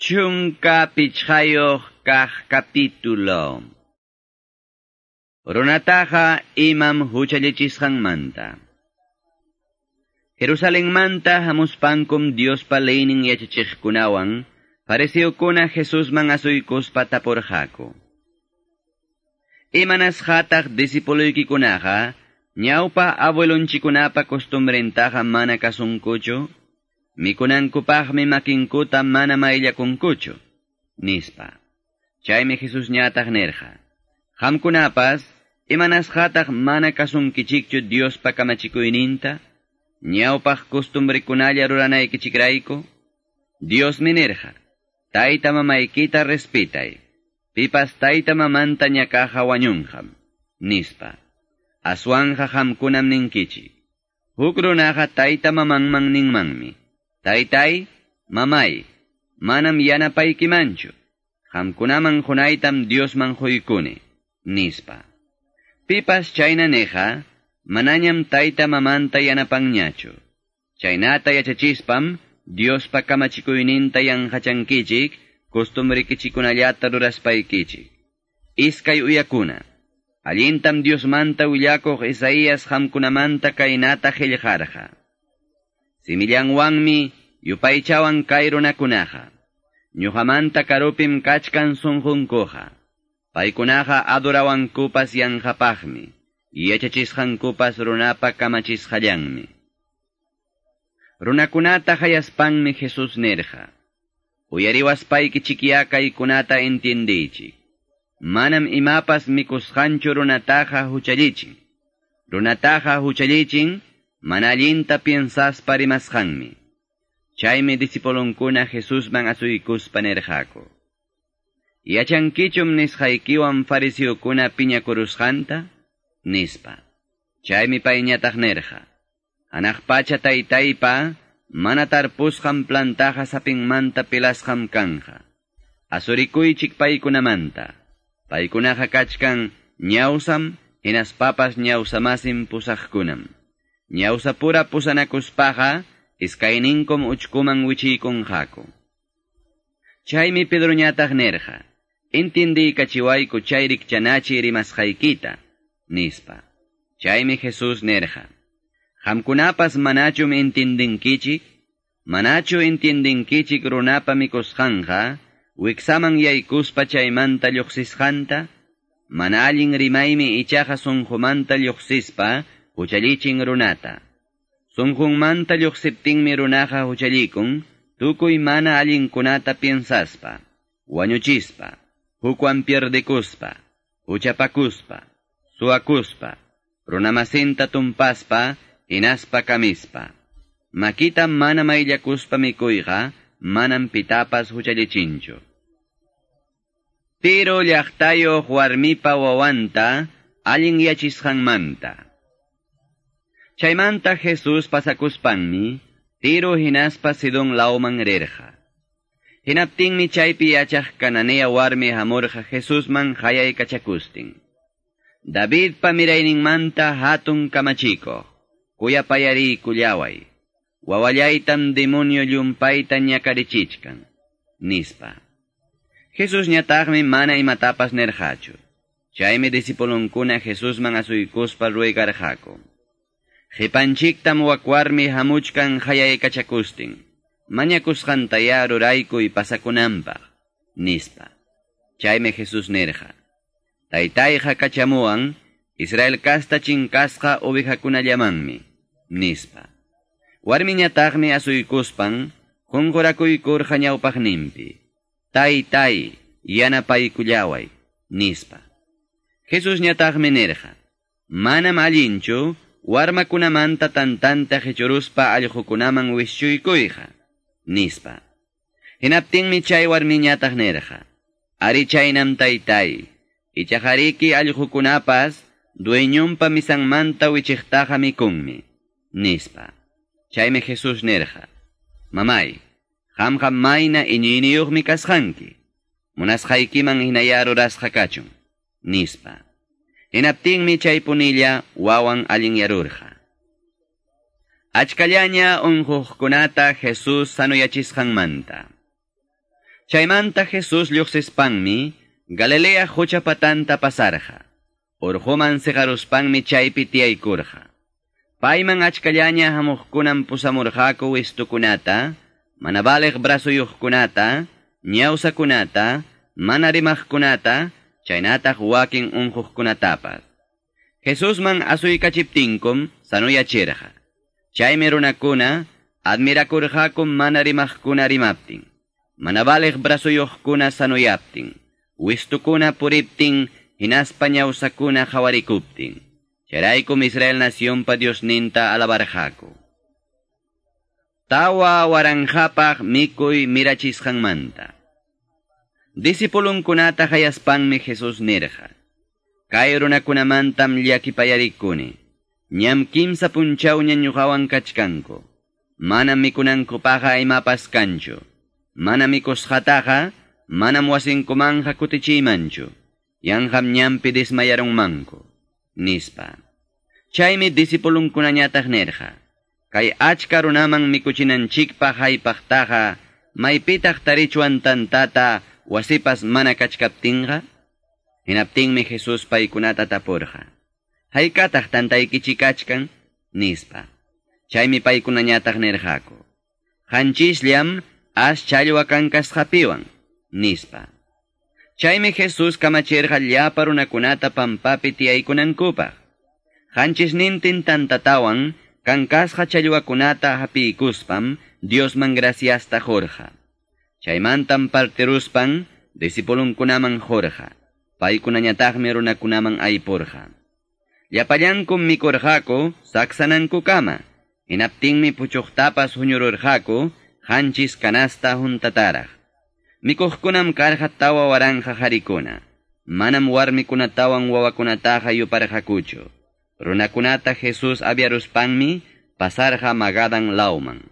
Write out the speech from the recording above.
15 kaq capítulo. Runataqa imam huchallichisqanmanta. Jerusalenmanta hamuspankum Diospa leynin yachachiqkunawan fariseokuna Jesusman asuykuspa tapurqaku. Imanasqataq discipuloykikunaqa ñawpa abuelonchikunapa costumbrentaqa mana kasunkuchu? Mikunankupaqmi makinkuta mana mayllakunkuchu, nispa. Chaymi Jesusñataq nirqa: Qamkunapas imanasqataq mana kasunkichikchu Diospa kamachikuyninta, ñawpaq costumbrikunalla ruranaykichikrayku? Diosmi nirqa: Tayta mamaykita respetay, pipas tayta mamanta ñakaqa wañunqam, nispa. Aswanja qamkunam ninkichik: Huk runaqa tayta mamanman ninmanmi: Taytay, mamay, manam yanapaykimanchu, qamkunaman qunaytam Diosman quykuni, nispa. Pipas chayna niqa, manañam tayta mamanta yanapanñachu. Chaynata yachachispam, Diospa kamachikuyninta yanqachankichik, costumbrikichikunallata ruraspaykichik. Iskay uyakuna, allintam Diosmanta willakuq Isaías qamkunamanta kaynata qillqarqa: Simillanwanmi yupaychawan kay runakunaqa, ñuqamanta karupim kachkan sunqunkuqa. Paykunaqa adorawankupas yanqapaqmi, yachachisqankupas runapa kamachisqallanmi. Runakunata hayaspanmi Jesús nirqa: Uyariwaspaykichikyá kaykunata entiendiychik. Manam imapas mikusqanchu runataqa huchallichin. Runataqa huchallichin mana allinta piensaspa rimasqanmi. Chaymi discipulonkuna Jesusman asuykuspa nirqaku: Yachankichum nisqaykiwan fariseokuna piñakurusqanta? Nispa. Chaymi payñataq nirqa: Hanaq pacha taytaypa mana tarpusqan plantaqa sapinmanta pilasqam kanja. Asurikuychik paykunamanta. Paykunaqa kachkan ñawsam, hinaspapas ñawsamasin pusaqkunam. Ñawsapura pusanakuspaqa iskayninkum uchkuman wichiykunqaku. Chaymi Pedroñataq nirqa: Entendiykachiwayku chay rikchanachi rimasqaykita, nispa. Chaymi Jesús nirqa: Qamkunapas manachum entendinkichik? Manachu entendinkichik runapa mikusqanqa wiksaman yaykuspa chaymanta lluqsisqanta? Mana allin rimaymi ichaqa sunqumanta lluqsispa huchallichin runata. Sunqunmanta lluqsiptinmi runaqa huchallikun tukuy mana allinkunata piensaspa, wañuchispa, hukwan pierdekuspa, huchapakuspa, suwakuspa, runamasinta tumpaspa, hinaspa kamispa. Makita mana mayllakuspa mikuyqa manam pitapas huchallichinchu. Tiro llaqtayuq warmipa wawanta allin yachisqanmanta. Chaymanta Jesús pasakuspanmi Tiro hinaspa Sidón lawman rirqa. Hinaptinmi chaypi yachaq Cananea warmi hamurqa Jesusman hayaykachakustin: Davidpa mirayninmanta hatun kamachikuq, kuyapayariykullaway, wawallaytam demonio llumpayta ñakarichichkan, nispa. Jesusñataqmi mana imatapas nirqachu. Chaymi discipulonkuna Jesusman asuykuspa ruegarqaku: Qipanchiktam wak warmi hamuchkan hayaykachakustin, mañakusqantayá ruraykuy pasakunanpaq, nispa. Chaymi Jesús nirqa: Taytayqa kachamuwan Israel kasta chinkasqa ovejakunallamanmi, nispa. Warmiñataqmi asuykuspan qunqurakuykurqa ñawpaqninpi: Taytay, yanapaykullaway, nispa. Jesusñataqmi nirqa: Manam allinchu warmakunamanta tantanta qichuruspa allqukunaman wischuykuyqa, nispa. Hinaptinmi chay warmiñataq nirqa: Ari chaynam taytay, ichaqariki allqukunapas dueñonpa misanmanta wichiqtaqa mikunmi, nispa. Chaymi Jesús nirqa: Mamay, qamqa mayna iñiyniyuqmi kasqanki, munasqaykiman hinayá rurasqa kachun, nispa. Hinaptinmi chaypunilla wawan allinyarurqa. Achkallaña unquqkunata Jesús sanuyachisqanmanta. Chaymanta Jesus lluqsispanmi Galilea qucha patanta pasarqa. Urquman siqaruspanmi chaypi tiyaykurqa. Payman achkallaña hamuqkunam pusamurqaku wistukunata, mana valiq brazuyuqkunata, ñawsakunata, mana rimaqkunata, chaynataq wakin unquqkunatapas. Jesusman asuykachiptinkum sanuyachirqa. Chaymi runakuna admirakurqaku mana rimaqkuna rimaptin, mana valiq brazuyuqkuna sanuyaptin, wistukuna puriptin, hinaspa ñawsakuna qawarikuptin. Chayraykum Israel nacionpa Diosninta alabarqaku. 4000paq mikuy mirachisqanmanta. Discipulunkunata qayaspanmi Jesus nirqa: Kay runakunamantam llakipayarikuni. Ñam kimsa punchawña ñuqawan kachkanku. Manam mikunankupaqqa imapas kanchu. Mana mikusqataqa manam wasinkumanqa kutichiymanchu. Yanqam ñampi desmayarunmanku, nispa. Chaymi discipulunkunañataq nirqa: Kay achka runaman mikuchinanchikpaq haypaqtaqa maypitaq tarichwan tantata wasipas mana kachkaptinqa? Hinaptinmi Jesus paykunata tapurqa: Haykataq tantaykichik kachkan? Nispa. Chaymi paykunañataq nirqaku: Qanchisllam as challwa kankasqapiwan, nispa. Chaymi Jesus kamachirqa llapa runakunata pampapi tiyaykunankupaq. Qanchisnintin tantatawan kankasqa challwakunata hapiykuspam Diosman graciasta qurqa. Chaymantam partiruspan discipulunkunaman qurqa. Paykunañataqmi runakunaman aypurqa. Llapallankum mikurqaku saksanankukama. Hinaptinmi puchuqtapas huñururqaku 7 canasta huntataraq. Mikuqkunam karqa 4000 qarikuna. Manam warmikunatawan wawakunataqa yuparqakuchu. Runakunata Jesus aviaruspanmi pasarqa Magadan lawman.